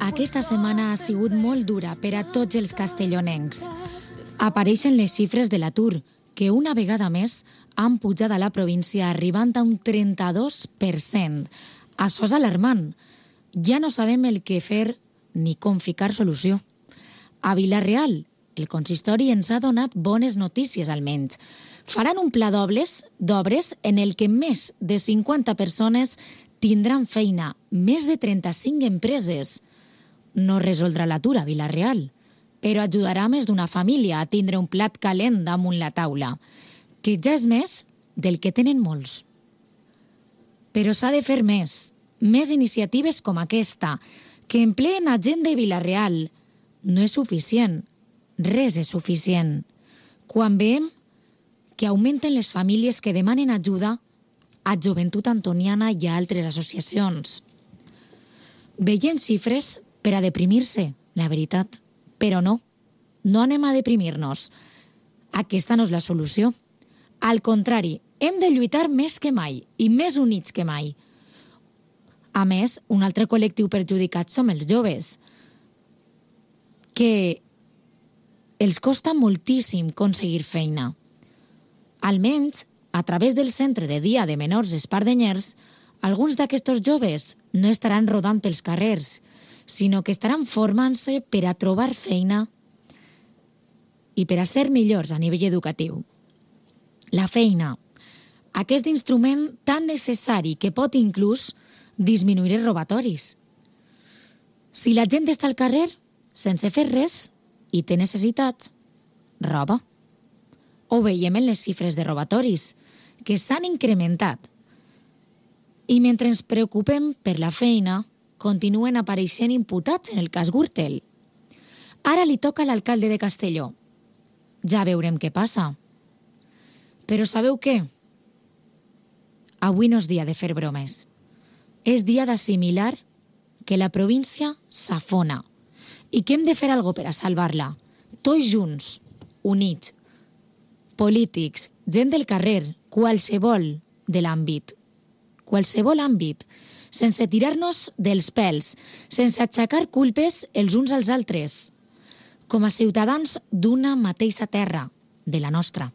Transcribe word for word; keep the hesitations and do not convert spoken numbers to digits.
Aquesta setmana ha sigut molt dura per a tots els castellonencs. Apareixen les xifres de l'atur, que una vegada més han pujat a la província arribant a un trenta-dos per cent. Això és alarmant. Ja no sabem el que fer ni com ficar solució. A Vila-real, el consistori ens ha donat bones notícies almenys. Faran un pla d'obres d'obres en el que més de cinquanta persones tindran feina, més de trenta-cinc empreses. No resoldrà l'atur a Vila-real, però ajudarà més d'una família a tindre un plat calent damunt la taula, que ja és més del que tenen molts. Però s'ha de fer més, més iniciatives com aquesta, que empleen a gent de Vila-real. No és suficient, res és suficient. Quan veiem que augmenten les famílies que demanen ajuda a Joventut Antoniana i a altres associacions. Veiem xifres per a deprimir-se, la veritat. Però no, no anem a deprimir-nos. Aquesta no és la solució. Al contrari, hem de lluitar més que mai i més units que mai. A més, un altre col·lectiu perjudicat som els joves, que els costa moltíssim aconseguir feina. Almenys, a través del centre de dia de menors espardenyers, alguns d'aquests joves no estaran rodant pels carrers, sinó que estaran formant-se per a trobar feina i per a ser millors a nivell educatiu. La feina, aquest instrument tan necessari que pot inclús disminuir els robatoris. Si la gent està al carrer, sense fer res, i té necessitats, roba. Ho veiem en les xifres de robatoris, que s'han incrementat. I mentre ens preocupem per la feina, continuen apareixent imputats en el cas Gürtel. Ara li toca a l'alcalde de Castelló. Ja veurem què passa. Però sabeu què? Avui no és dia de fer bromes. És dia d'assimilar que la província s'afona i que hem de fer alguna cosa per a salvar-la. Tots junts, units, polítics, gent del carrer, qualsevol de l'àmbit. Qualsevol àmbit, sense tirar-nos dels pèls, sense aixecar culpes els uns als altres, com a ciutadans d'una mateixa terra, de la nostra.